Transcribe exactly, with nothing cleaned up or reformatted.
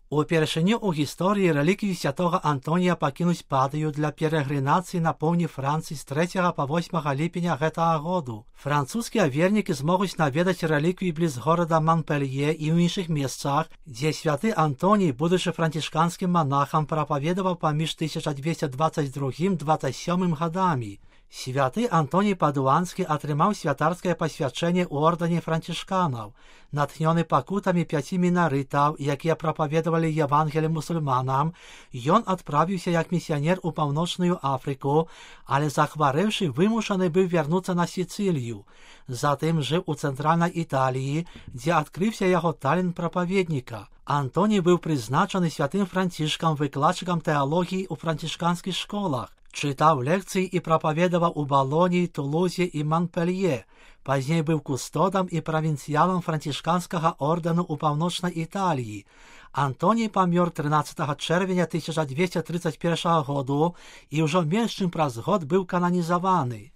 Упершыню ў гісторыі рэліквіі святога Антонія пакінуць падыю для перагрынацыі на поўдні Францыі з трэцяга па восьмага ліпеня гэтага году. Французскія вернікі змогуць наведаць рэліквіі бліз горада Манпелье і ў іншых месцах, дзе святы Антоній, будучы францішканскім манахам, прапаведаваў паміж тысяча дзвесце дваццаць другім - дваццаць сёмым гадамі. Святы Антоній Падуанскі атрымаў святарскае пасвячэнне ў ордэне францішканаў. Натхнёны пакутамі пяці мінарытаў, якія прапаведавалі Евангелі мусульманам, ён адправіўся як місіянер у паўночную Афрыку, але захварэўшы, вымушаны быў вярнуцца на Сіцылію. Затым жыў у цэнтральнай Італіі, дзе адкрыўся яго талент прапаведніка. Антоній быў прызначаны святым Францішкам выкладчыкам тэалогіі ў францішканскіх школах. Чытаў лекцыі і прапаведаваў у Балоніі, Тулузе і Манпелье. Пазней быў кустодам і правінцыялам францішканскага ордэну ў паўночнай Італіі. Антоній памёр трынаццатага чэрвеня тысяча дзвесце трыццаць першага году і ўжо менш чым праз год быў кананізаваны.